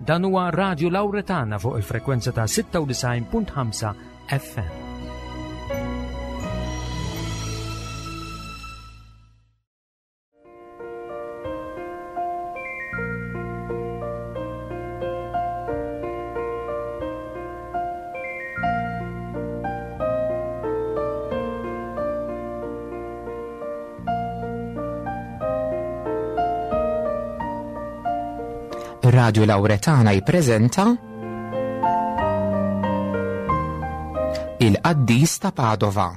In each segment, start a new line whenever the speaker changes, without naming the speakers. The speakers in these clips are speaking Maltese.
Dan huwa Radio Lauretana fuq il-frekwenza ta' 96.5 FM.
Radio Lauretana jippreżenta Il-Qaddis ta' Padova.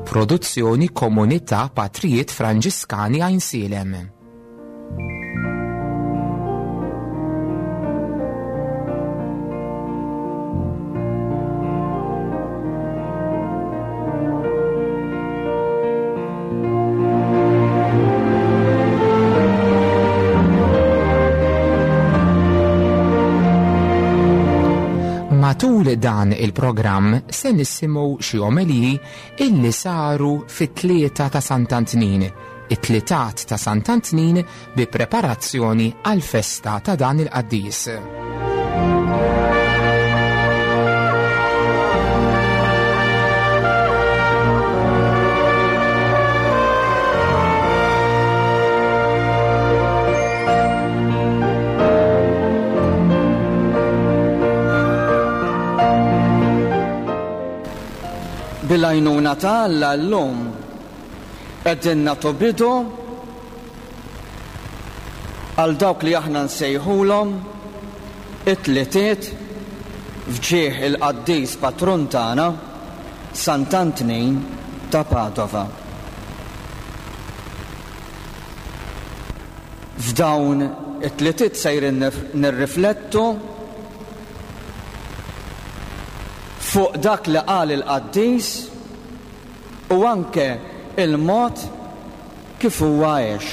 Produzzjoni Komunità Patrijiet Franġiskani Għajnsielem. Matul dan il-programm se nisimgħu xi omeliji illi saru fit-tlieta ta' Sant'Antnin, it-tlitat ta' Sant'Antnin bi preparazzjoni għall-festa ta' dan il-qaddis.
Bil-għajnuna ta' Alla llum qegħdin nagħtu bidu għal dawk li aħna nsejħulhom it-tlitiet f'ġieħ il-qaddis patrun tagħna Sant'Antnin ta' Padova. F'dawn it-tlitiet sejrin nirriflettu fuq dak li qal il-qaddis u anke il-mod kif huwa għex.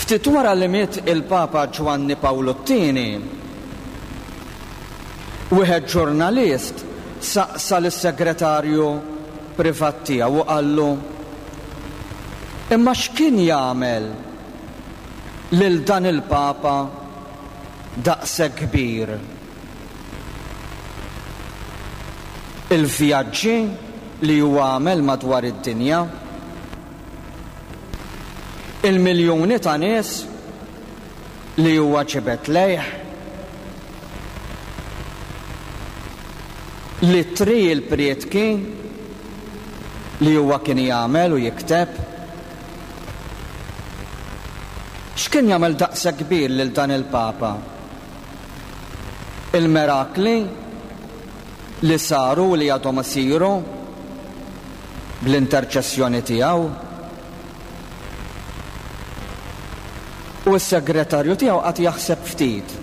Ftit wara li miet il-Papa Ġwanni Pawlu t-Tieni, wieħed ġurnalist saqsa lis-segretarju privat tiegħu u qallu, Imma x'kien jagħmel lil dan il-Papa daqshekk kbir? Il-vjaġġi li huwa għamel madwar id-dinja, il-miljuni ta' nies li huwa ġibed lejh, l-ittri il-prietki li huwa kien jagħmel u jikteb. X'kien jagħmel daqshekk kbir lil dan il-Papa? Il-mirakli li saru u li għadhom isiru bl-interċessjoni tiegħu. U s-segretarju tiegħu qagħad jaħseb ftit.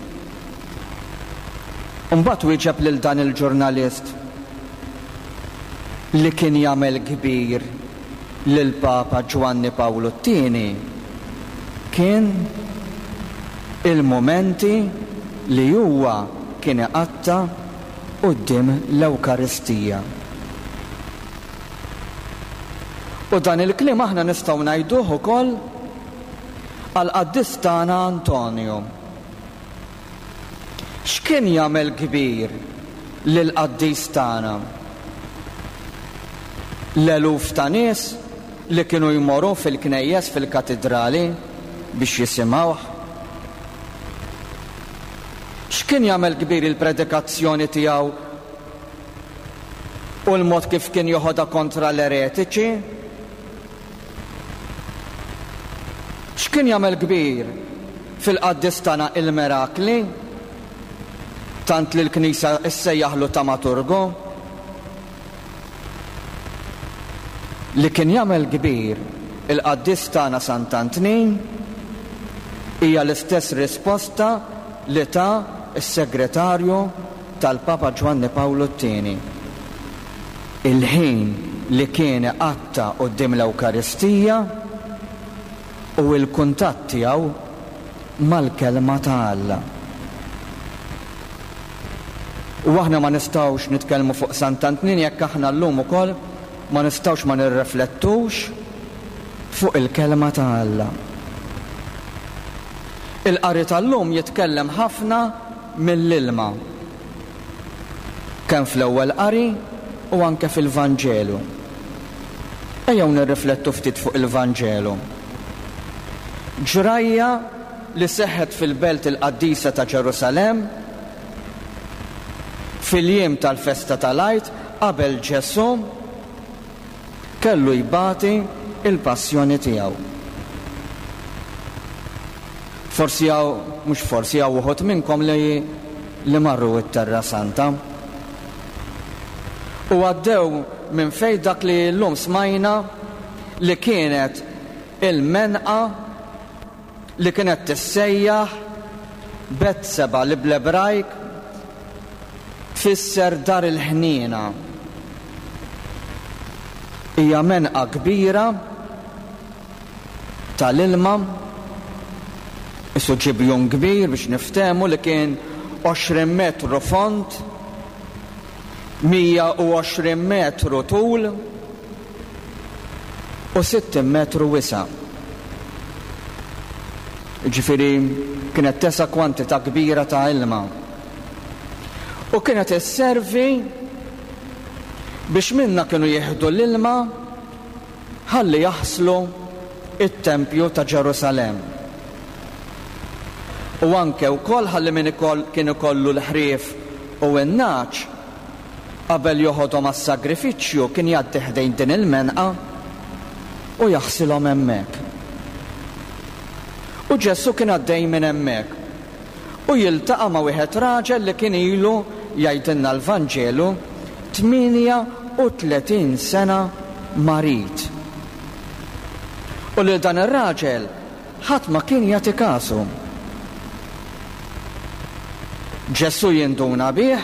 U mbagħad wieġeb lil dan il-ġurnalist li kien jagħmel kbir lill-Papa Ġwanni Pawlu t-Tieni kien il-mumenti li huwa kien iqatta' quddiem l-Ewkaristija. U dan il-kliem aħna nistgħu ngħiduh ukoll għall-qaddis tagħna Antonju. X'kien jagħmel kbir lill-qaddis tagħna? L-eluf ta' nies li kienu jmorru fil-knejjes fil-katidrali biex jisimgħuh? X'kien jagħmel kbir il-predikazzjoni tiegħu u l-mod kif kien joħodha kontra l-eretiċi? X'kien jagħmel kbir fil-qaddis tagħna il-mirakli, tant li l-Knisja ssejjaħlu tamaturgu? Li kien jagħmel kbir il-qaddis tagħna Sant'Antnin hija l-istess risposta li ta s-segretarju tal-Papa Ġwanni Pawlu t-Tieni. Il-ħin li kien iqatta' quddiem l-Ewkaristija u l-kuntatt tiegħu mal-Kelma ta' Alla. U aħna ma nistgħux nitkellmu fuq Sant'Antnin jekk aħna llum ukoll ma nistgħux ma nirreflettux fuq il-Kelma ta' Alla. Il-qari tal-lum jitkellem ħafna mill-ilma, kemm fl-ewwel qari u anke fil-Vanġelu. Ejjew nirriflettu ftit fuq il-Vanġelu. Ġrajja li seħħet fil-belt il-qaddisa ta' Ġerusalemm fil-jiem tal-festa tal-Għid qabel Ġesù kellu jbati l-passjoni tiegħu. Forsi hawn, mhux forsi, hawn uħud minnkom li li marru t-Terra Santa. U għaddew minn fejn dak li llum smajna li kienet il-menqa li kienet tissejjaħ Betseba li bl-Ebrajk tfisser Dar il-Ħniena. Hija menqa kbira tal-ilma, qisu ġibjun kbir biex niftehmu li kien 20 metru fond, 120 metru tul u 60 metru wisa'. Jiġifieri kienet tesa' kwantità kbira ta' ilma. U kienet isservi biex minnha kienu jieħdu l-ilma ħalli jaħslu t-tempju ta' Ġerusalemm. U anke wkoll ħalli min kien ikollu l-ħrief u n-nagħaġ qabel joħodhom għas-sagrifiċċju kien jgħaddi ħdejn din il-menqa u jaħsilhom hemmhekk. U Ġesù kien għaddej minn hemmhekk u jiltaqa' ma' wieħed raġel li kien ilu, jgħidilna l-Vanġelu, 38 sena marid. U lil dan ir-raġel ħadd ma kien jagħti kasu. Ġesù jinduna bih,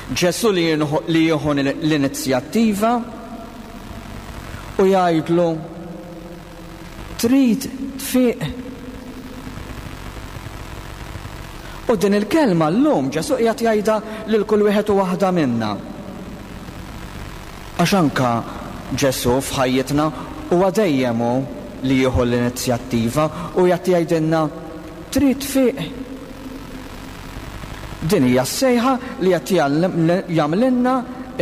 Ġesù li jieħu l-inizjattiva u jgħidlu, Trid tfiq? U din il-kelma llum Ġesù qiegħed jgħidha lil kull wieħed u waħda minna. Għax anke Ġesù f'ħajjitna huwa dejjem hu li jieħu l-inizjattiva u qiegħed jgħidilna, Trid tfiq? Din hija s-sejħa li qed jagħmlilna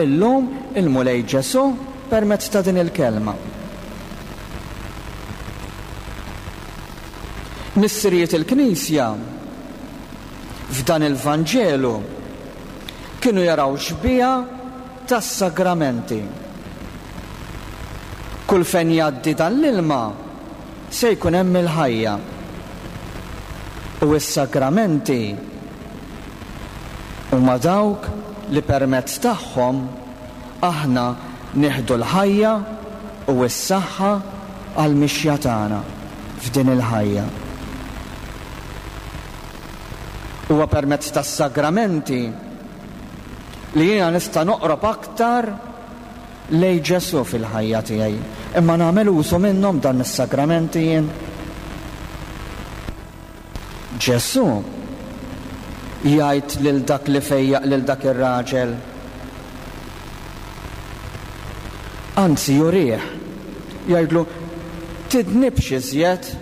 llum il-Mulej Ġesù permezz ta' din il-kelma. Missirijiet il-Knisja f'dan il-Vanġelu kienu jaraw xbieha tas-sagramenti. Kull fejn jgħaddi dan l-ilma se jkun hemm il-ħajja. U s-sagramenti huma dawk li permezz tagħhom aħna nieħdu l-ħajja u s-saħħa għall-mixja tagħna f'din il-ħajja. Huwa permezz tas-sagramenti li jiena nista' noqrob aktar lejn Ġesù fil-ħajja tiegħi. Imma nagħmel użu minnhom dan is-sagramenti jien? Ġesù jgħid lil dak li fejjaq lil dak ir-raġel. Anzi jurih, jgħidlu, tidnibx iżjed.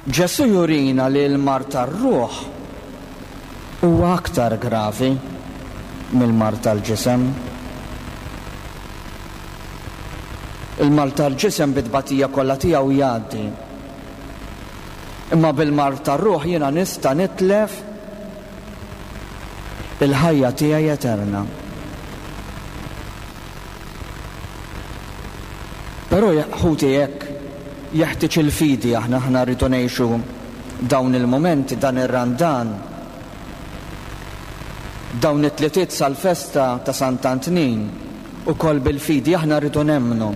Ġesù jurina li l-mard tar-ruħ huwa aktar gravi mill-mard tal-ġisem. Il-mard tal-ġisem bit-tbatija kollha tiegħu jgħaddi. Imma bil-mard tar-ruħ jiena nista' nitlef il-ħajja tiegħi eterna. Però ħuti hekk jeħtieġ il-fidi aħna aħna rridu ngħixu dawn il-mumenti, dan ir-Randan, dawn it-tlitiet sal-festa ta' Sant'Antnin ukoll bil-fidi aħna rridu nemmnu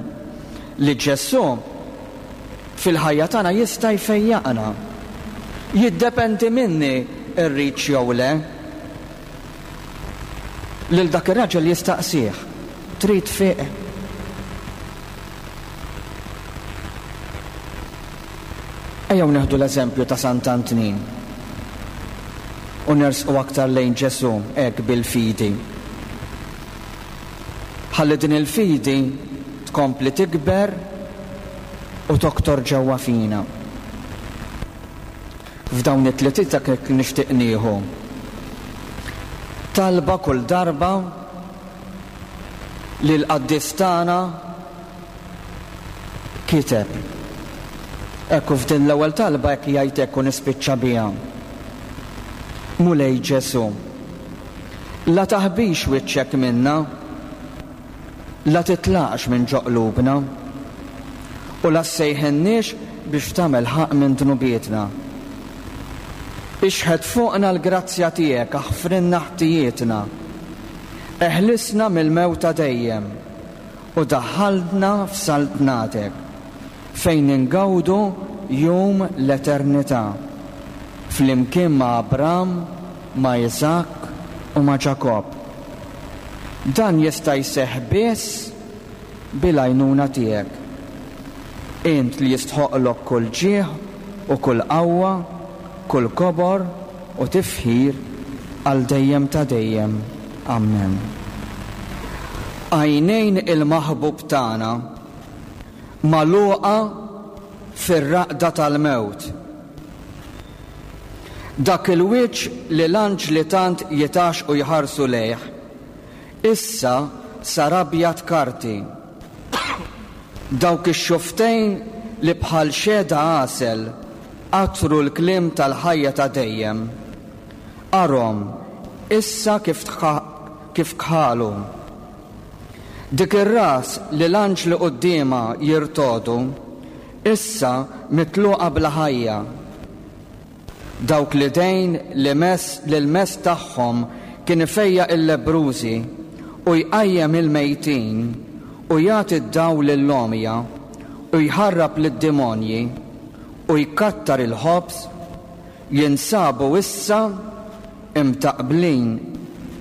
li Ġesù fil-ħajja tagħna jista' jfejjaqna. Jiddependi minni rridx jew le. Lil dak ir-raġel jistaqsih, Trid tfiq? Ejjew nieħdu l-eżempju ta' Sant'Antnin u nersqu aktar lejn Ġesù hekk bil-fidi. Ħalli din il-fidi tkompli tikber u toktor ġewwa fina. F'dawn it-tliet dak nixtieq nieħu. Talba kull darba li l-qaddis tagħna kiteb. Ekku f'din l-ewwel talba hekk jgħid hekk u nispiċċa biha. Mulej Ġesù, la taħbix wiċċek minna, la titlaqx minn ġo qlubna, u la ssejħilniex biex tagħmel ħaqq minn dnubietna. Ixħet fuqna l-grazzja tiegħek, aħfrilna ħtijietna. Eħlisna mill-mewt ta' dejjem, u daħħalna f'saltnatek, fejn ingawdu jum l-eternità, flimkien ma' Abram, ma' Iżakk u ma' Ġakobb. Dan jista' jseħħ biss bil-għajnuna tiegħek. Int li jistħoqqlok kull ġieħ u kull qawwa, kull kobor u tifħir għal dejjem ta' dejjem. Ammen. Għajnejn il-maħbub tagħna magħluqa fir-raqda tal-mewt. Dak il-wiċċ li l-anġli tant jitgħaxxqu jħarsu lejh, issa sar abjad karti. Dawk ix-xufftejn li bħal xehda għasel qattru l-kliem tal-ħajja ta' dejjem, arhom issa kif kif kħalu. Dik ir-ras li l-anġli quddiemha jirtogħdu, issa mitluqa bla ħajja. Dawk l-idejn li mess li l-mess tagħhom kien ifejjaq il-lebbrużi u jqajjem il-mejtin u jagħti d-dawl lill-għomja u jħarrab lid-demonji u jkattar il-ħobż jinsabu issa imtaqqblin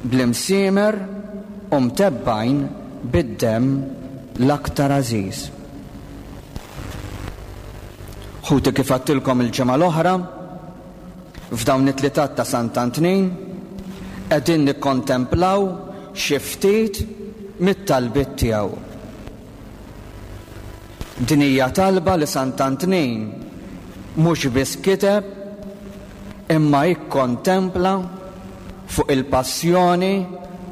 bl-imsiemer u mtebbgħin bid-demm l-aktar għażiż. Ħuti kif għadtilkom il-ġimgħa l-oħra, f'dawn it-tlitat ta' Sant'Antnin qegħdin nikkontemplaw xi ftit mit-talbiet tiegħu. Din hija talba li Sant'Antnin mhux biss kiteb imma ikkontempla fuq il-passjoni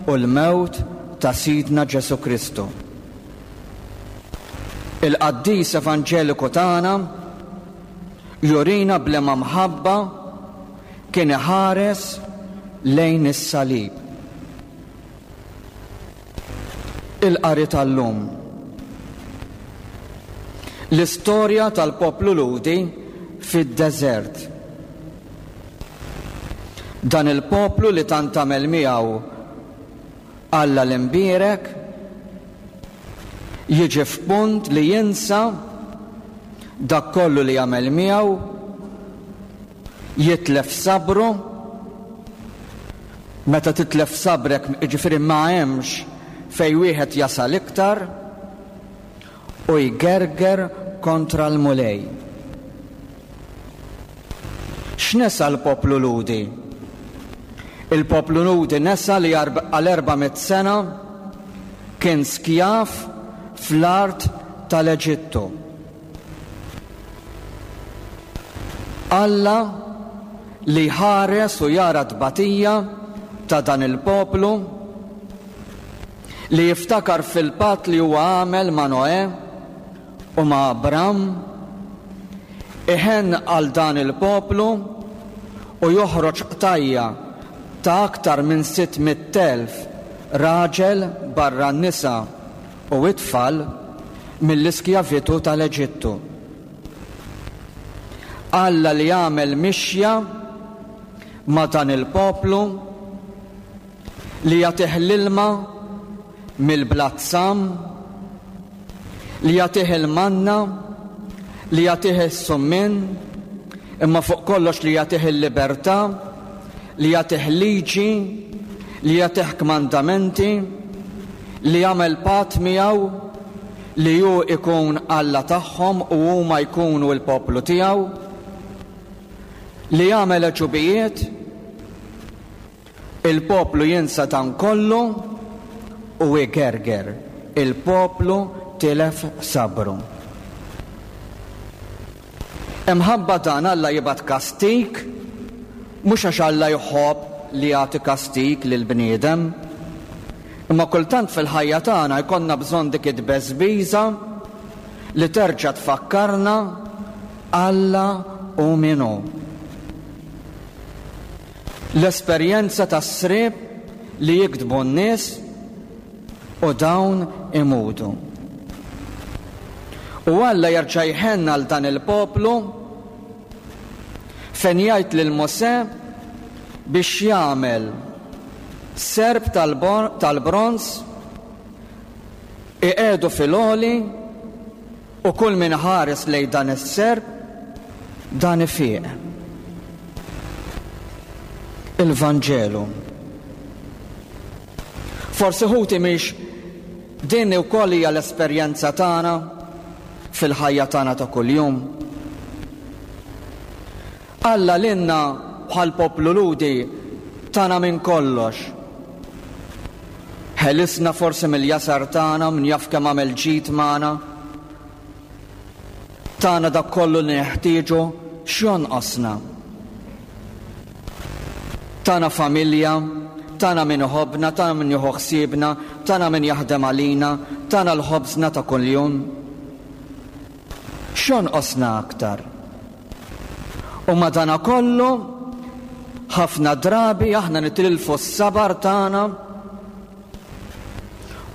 u l-mewt ta' Sidna Ġesù Kristu. Il-qaddis evanġeliku tagħna jurina b'liema mħabba kien iħares lejn is-salib. Il-qari tal-lum. L-istorja tal-poplu Lhudi fid-deżert. Dan il-poplu li tant għamel miegħu Alla l-Imbierek jiġi f'punt li jinsa dak kollu li għamel miegħu, jitlef sabru, meta titlef sabrek jiġifieri ma hemmx fejn wieħed jasal iktar, u jgerger kontra l-Mulej. X'nesa l-poplu Lhudi? Il-poplu Lhudi nesa li għal 400 sena kien skjav fl-art tal-Eġittu. Alla li jħares u jara t-tbatija ta' dan il-poplu, li jiftakar fil-patt li huwa għamel ma' Noè u ma' Abram, iħenn għal dan il-poplu u joħroġ qtajja' ta' aktar minn 600,000 raġel barra n-nisa u t-tfal mill-iskjavitù tal-Eġittu. Alla li għamel mixja ma' dan il-poplu li jagħtih l-ilma mill-blat sam, li jagħtih il-manna, li jagħtih is-summien, imma fuq kollox li jagħtih il-libertà, li jagħtih liġi, li jagħtih kmandamenti, li jagħmel patt miegħu li hu jkun Alla tagħhom u huma jkunu l-poplu tiegħu, li jagħmel għeġubijiet, Il-poplu jinsa dan kollu u igerger. Il-poplu tilef sabru. Imħabba dan Alla jibgħat kastig, mhux għax Alla jħobb li jagħti kastig lill-bniedem, imma kultant fil-ħajja tagħna jkollna bżonn dik it-tbeżbiża li terġa' tfakkarna Alla hu min hu. L-esperjenza tas-sriep li jigdbu n-nies u dawn imutu. U Alla jerġa' jħenn għal dan il-poplu fejn jgħid lil Mosè biex jagħmel serp tal-bronż iqiegħdu fil-għoli U kull min iħares lejn dan is-serp, dan ifiq. Il-Vanġelu. Forsi ħuti mhix din ukoll hija l-esperjenza tagħna fil-ħajja tagħna ta' kuljum. Alla lilna bħal poplu Lhudi tana minn kollox. Ħelisna forsi mill-jasar tagħna, min jaf kemm għamel ġid magħna. Tana dak kollu li neħtieġu, x'jonqosna? Tana familja, tana min iħobbna, tana min jieħu ħsiebna, tana min jaħdem għalina, tana l-ħobżna ta' kuljum. X'jonqosna aktar? U madanakollu, ħafna drabi aħna nitilfu s-sabar tagħna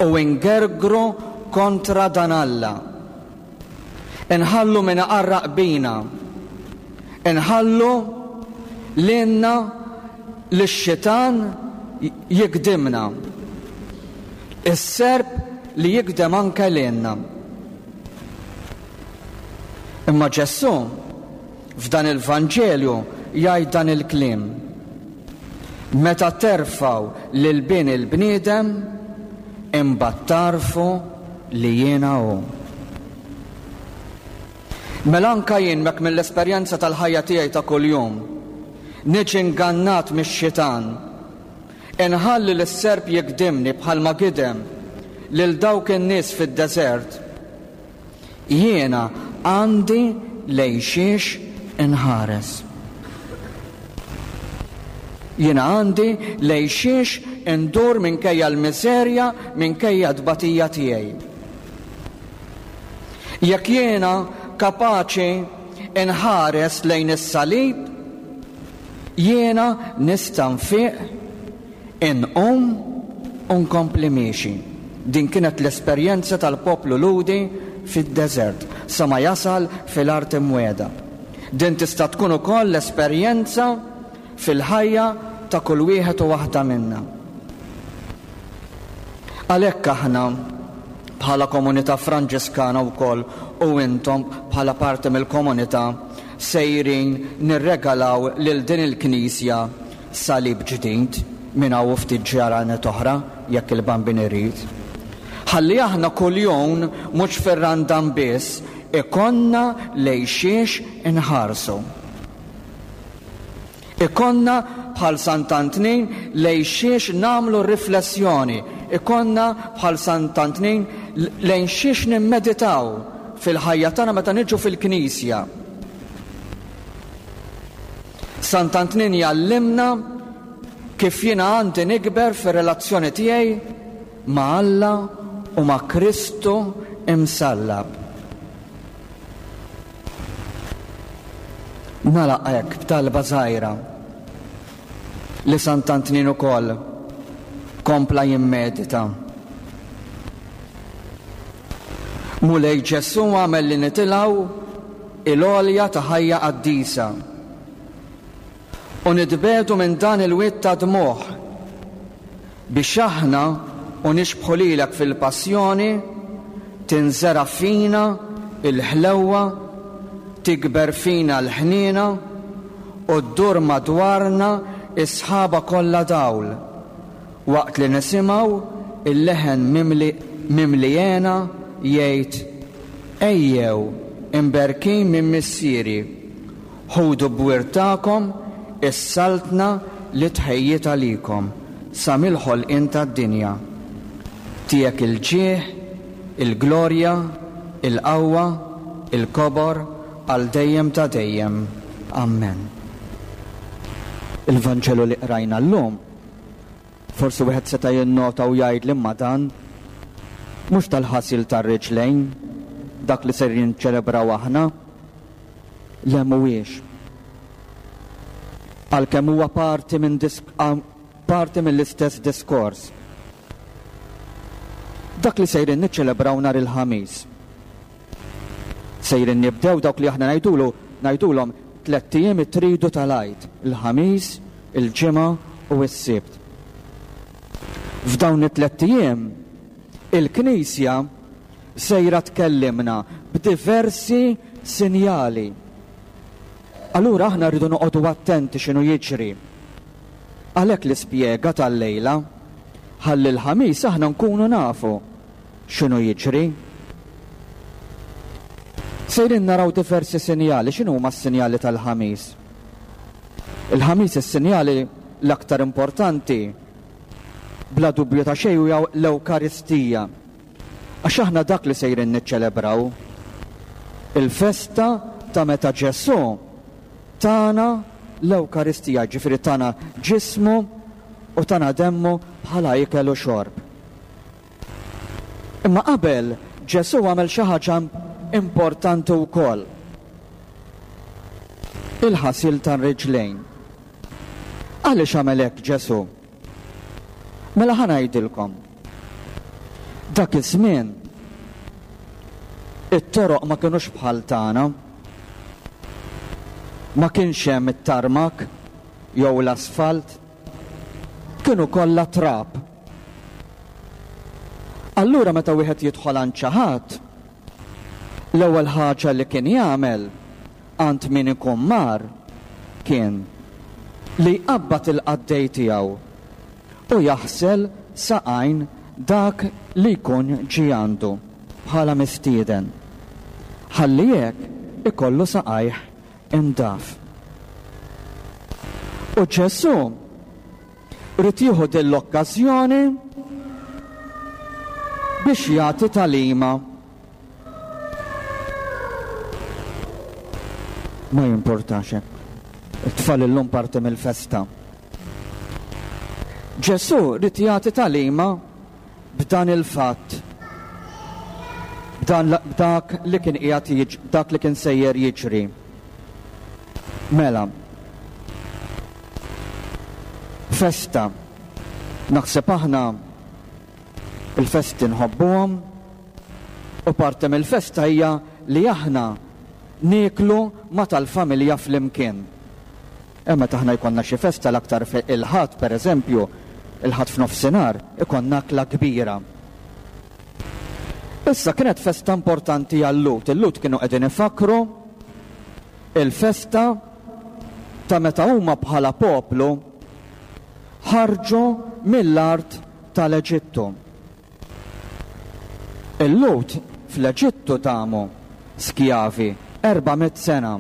u ngergru kontra dan Alla. Inħallu min iqarraq bina. Inħallu lilna lix-xitan jigdimna. Is-serp li jigdem anke lilna. Imma Ġesù f'dan il-Vanġelju jgħid dan il-kliem, Meta terfgħu lil Bin il-bniedem, imbagħad tagħrfu li jiena hu. Mela anke jien mek mill-esperjenza tal-ħajja tiegħi ta' kuljum, niġi ngannat mix-xitan, inħalli lis-serp jigdimni bħalma gidem lil dawk in-nies fid-deżert, Jiena għandi lejn xiex inħares. Jiena għandi lejn xiex indur minkejja l-miżerja, minkejja t-tbatija tiegħi. Jekk jiena kapaċi inħares lejn is-salib, jiena nista' nfiq Inqum u nkompli miexi. Din kienet l-esperjenza tal-poplu Lhudi fid-deżert sa ma jasal fil-Art Imwiegħda. Din tista' tkun ukoll l-esperjenza fil-ħajja ta' kull wieħed u waħda minna. Għalhekk aħna bħala komunità Franġiskana wkoll u intom bħala parti mill-komunità sejrin nirregalaw lil din il-knisja Salib ġdid minn hawn u ftit ġranet oħra, jekk il-Bambin irid. Ħalli aħna kuljum, mhux fir-Randan biss, ikollna lejn xiex inħarsu. Ikollna bħal Sant'Antnin lejn xiex nagħmlu riflessjoni, ikollna bħal Sant'Antnin lejn xiex nimmeditaw fil-ħajja tagħna meta niġu fil-knisja. Sant'Antnin jgħallimna kif jiena għandi nikber fir-relazzjoni tiegħi ma' Alla u ma' Kristu imsallab. Nagħlaq hekk b'talba żgħira li Sant'Antnin ukoll kompla jimmedita. Mulej Ġesù għamel li nitilgħu il-għolja ta' ħajja qaddisa u nitbiegħdu minn dan il-wied ta' dmugħ biex aħna u nixbħu lilek fil-passjoni tinżera' fina l-ħlewwa, tikber fina l-ħniena u ddur madwarna s-sħaba kollha dawl waqt li nisimgħu l-leħen mimli mimli hena jgħid, Ejjew, imberkin minn Missieri, ħudu b'wirt tagħkom is-saltna li tħejjiet għalikom sa mill-ħolqien tad-dinja. Tiegħek il-ġieħ, il-glorja, il-qawwa, il-kobor. għal dejjem ta' dejjem. Ammen. Il-Vanġelu li qrajna llum, forsi wieħed seta' jinnota u jgħid li imma dan mhux tal-ħasil tar-riġlejn, dak li ser jinċelebraw aħna. Le mhuwiex. Għalkemm huwa parti minn parti mill-istess diskors. Dak li sejrin niċċelebraw nhar il-Ħamis. Sejrin nibdew dawk li aħna ngħidulu ngħidulhom tlett ijiem it-tridu tal-Għid, il-Ħamis, il-Ġimgħa u s-Sibt. F'dawn it-tlett ijiem il-Knisja sejra tkellimna b'diversi sinjali. Allura aħna rridu noqogħdu attenti x'inhu jiġri. Għalhekk l-ispjega tal-lejla, ħalli l-Ħamis aħna nkunu nafu x'inhu jiġri. Sejrin naraw diversi sinjali, x'inhuma s-sinjali tal-Ħamis? Il-Ħamis is-sinjali l-aktar importanti bla dubju ta' xejn huwa l-Ewkaristija. Għax aħna dak li sejrin niċċelebraw. Il-festa ta' meta Ġesù tana l-Ewkaristija, jiġifieri tana ġismu u tana demmu bħala ikel u xorb. Imma qabel Ġesù għamel xi ħaġa importanti wkoll. Il-ħasil tar-riġlejn. Għaliex għamel hekk Ġesù? Mela ħa ngħidilkom. Dak iż-żmien it-toroq ma kinux bħal tagħna. Ma kienx hemm it-tarmak jew l-asfalt. Kienu kollha trab. Allura meta wieħed jidħol għand xi ħadd, l-ewwel ħaġa li kien jagħmel għand min ikun mar kien li jqabbad il-qaddej tiegħu u jaħsel saqajn dak li jkun ġie għandu bħala mistieden, ħalli hekk ikollu saqajh indaf. U Ġesù ried jieħu din l-okkażjoni biex jagħti tagħlima. Ma jimpurtax hekk. It-tfal illum parti mill-festa. Ġesù ried jagħti tagħlima b'dan il-fatt, b'dan b'dak li kien qiegħed dak li kien sejjer jiġri. Mela, festa. Naħseb aħna il-festi nħobbuhom u parti mill-festa hija li aħna nieklu ma' tal-familja flimkien. Eh meta aħna jkollna xi festa l-aktar il-Ħadd pereżempju, il-Ħadd f'nofsinhar, ikollna akla kbira. Issa kienet festa importanti għal-Lhud. Il-Lhud kienu qegħdin ifakkru il-festa ta' meta huma bħala poplu ħarġu mill-art tal-Eġittu. Il-Lhud fl-Eġittu damu skjavi 400 sena.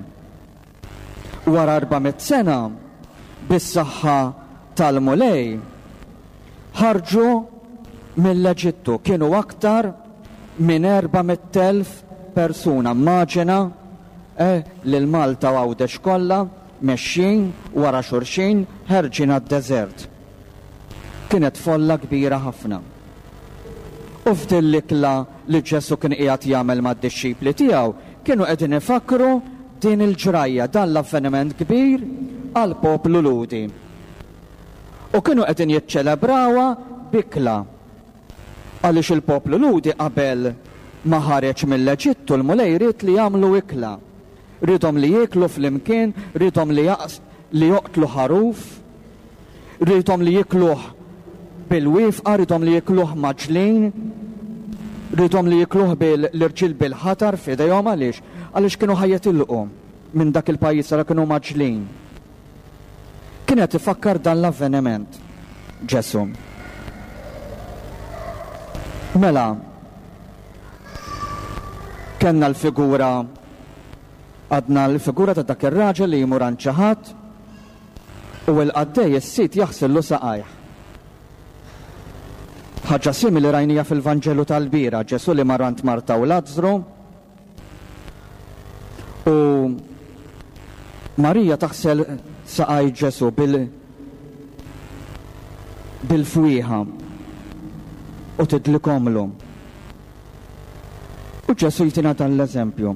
Wara 400 sena, bis-saħħa tal-Mulej, ħarġu mill-Eġittu. Kienu aktar minn 400,000 persuna. Immaġina eh, lil Malta u Għawdex kollha mexjin wara xulxin ħerġin għad-deżert. Kienet folla kbira ħafna. U f'din l-ikla li Ġesù kien qiegħed jagħmel mad-dixxipli tiegħu, kienu qegħdin ifakkru din il-ġrajja, dan l-avveniment kbir għall-poplu Lhudi. U kienu qegħdin jiċċelebrawha b'ikla. Għaliex il-poplu Lhudi qabel ma ħareġ mill-Eġittu l-Mulej ried li jagħmlu ikla. Riedhom li jieklu flimkien, riedhom li li joqtlu ħaruf, riedhom li jiekluh bil-wifqa, riedhom li jiekluh mgħaġġlin, riedhom li jiekluh bil l-irġiel bil-ħatar f'idejhom għaliex? Għaliex kienu ħa jitilqu minn dak il-pajjiż allura kienu mgħaġġlin. Kien qed ifakkar dan l-avveniment Ġesù. Mela, kellna l-figura għadna l-figura ta' dak ir-raġel li jmur għand xi ħadd u l-qaddej is-sid jaħsillu saqajh. Ħaġa simili rajnija fil-Vanġelu tal-bira, Ġesù li mar għand Marta u Lazzru u. Marija taħsel saqaj Ġesù bil bil-fwieħa u tidlikomlu. U Ġesù jtina dan l-eżempju.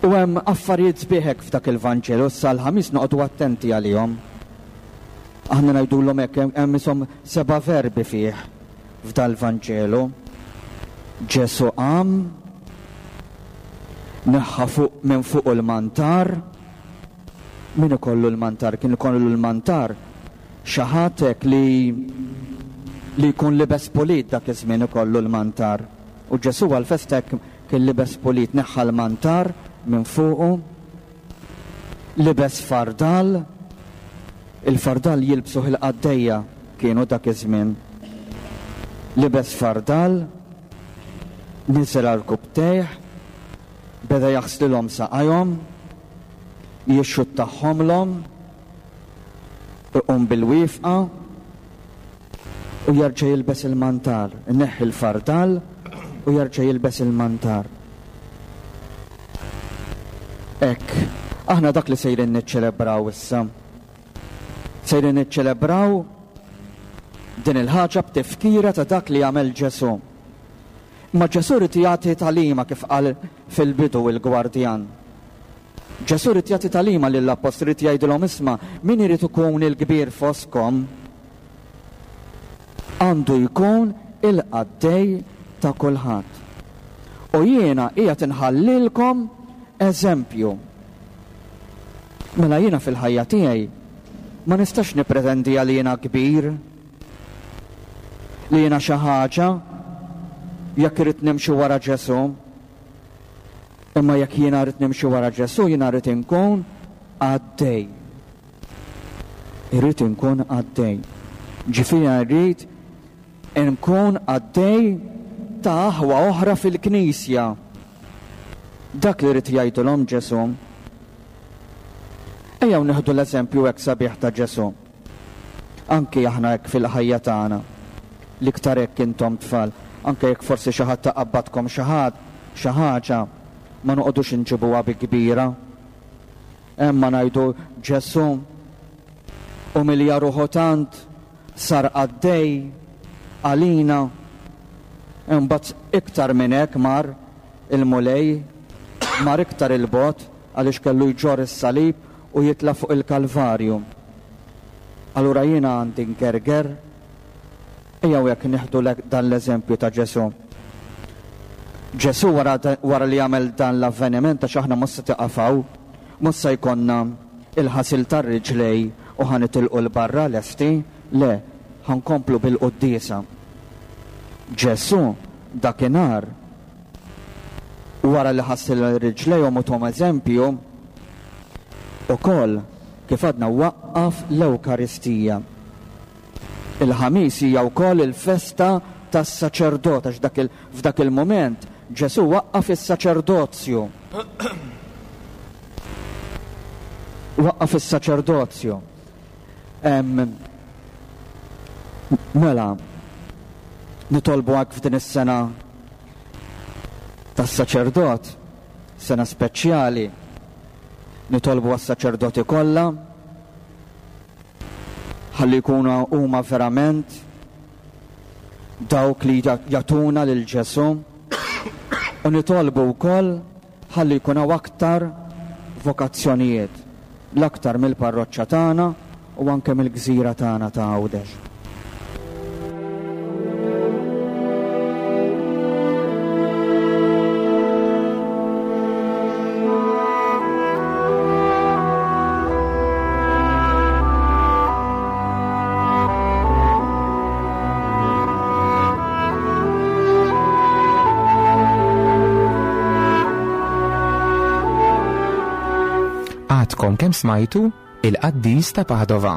U hemm affarijiet sbieħ hekk f'dak il-Vanġelu, issa l-Ħamis noqogħdu attenti għalihom. Aħna ngħidulhom hekk hemm ishom seba' verbi fih f'dal-Vanġelu. Ġesù qam, neħħa fuq minn fuqu l-mantar. Min ikollu l-mantar? Kien ikollu l-mantar xi ħadd hekk li li jkun libes pulit dak iż-żmien ikollu l-mantar. U Ġesù għall-festa hekk kien libes pulit, neħħa l-mantar minn fuqu, libes fardal, il-fardal jilbsuh il-qaddejja kienu dak iż-żmien. Libes fardal, niżel għal rkubbtejh, beda jaħslilhom saqajhom, jixxuttahomlhom, iqum bil-wifqa, u jerġa' jilbes il-mantar, ineħħi l-fardal u jerġa' jilbes il-mantar. Hekk, aħna dak li sejrin niċċelebraw issa. Sejrin niċċelebraw din il-ħaġa b'tifkira ta' dak li għamel Ġesù. Imma Ġesù rid jagħti tagħlima kif qal fil-bidu il-gwardjan. Ġesù rid jagħti tagħlima lill-appostli, rid jgħidilhom isma' min irid ikun il-kbir fostkom għandu jkun il-qaddej ta' kulħadd. U jiena qiegħed inħallilkom eżempju. Mela jiena fil-ħajja tiegħi ma nistax nippretendi li jiena kbir, li jiena xi ħaġa jekk irrid nimxi wara Ġesù. Imma jekk jiena rrid nimxi wara Ġesù, jiena rrid inkun qaddej. Irrid inkun qaddej. Ġifieri rrid inkun qaddej ta' aħwa oħra fil-Knisja. Dak li rrid jgħidilhom Ġesù. Ejjew nieħdu l-eżempju hekk sabiħ ta' Ġesù. Anki aħna hekk fil-ħajja tagħna, l-iktar hekk intom tfal, anke jekk forsi xi ħadd iqabbadkom xi ħadd, xi ħaġa, ma noqogħdux inġibuha bi kbira. Imma ngħidu Ġesù umilja ruħu tant, sar qaddej għalina. Imbagħad iktar minn hekk mar il-Mulej, mar iktar 'il bogħod għaliex kellu jġorr is-salib u jitla' fuq il-Kalvarju. Allura jiena għandi ngerger? Ejjew hekk nieħdu dan l-eżempju ta' Ġesù. Ġesù wara, wara li għamel dan l-avveniment għax aħna mhux se tiqaf hawn, mhux se jkollna il-ħasil tar-riġlej u ħa nitilqu 'l barra lesti, le, ħa nkomplu bil-quddiesa. Ġesù dakinhar wara li ħasil riġlejhom u thom eżempju, ukoll kif għadna waqqaf l-Ewkaristija. Il-Ħamis hija wkoll il-festa tas-saċerdot għax dak il, f'dak il-mument Ġesù waqqaf is-saċerdozju. Waqqaf is-saċerdozju. Mela, nitolbu hekk f'din is-sena tas-saċerdot, sena speċjali, nitolbu għas-saċerdoti kollha, ħalli jkunu huma verament dawk li jagħtuna lil Ġesù u nitolbu wkoll ħalli jkun hawn aktar vokazzjonijiet, l-aktar mill-parroċċa tagħna u anke mill-gżira tagħna ta' Għawdex.
Għadkom kemm smajtu il-qaddis ta' Padova.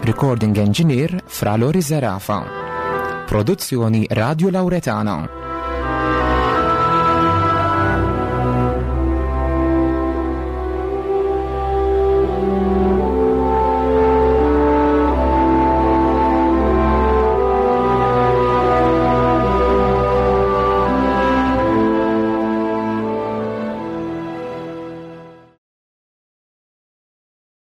Recording Engineer Fra Lori Zerafa. Produzzjoni Radio Lauretana.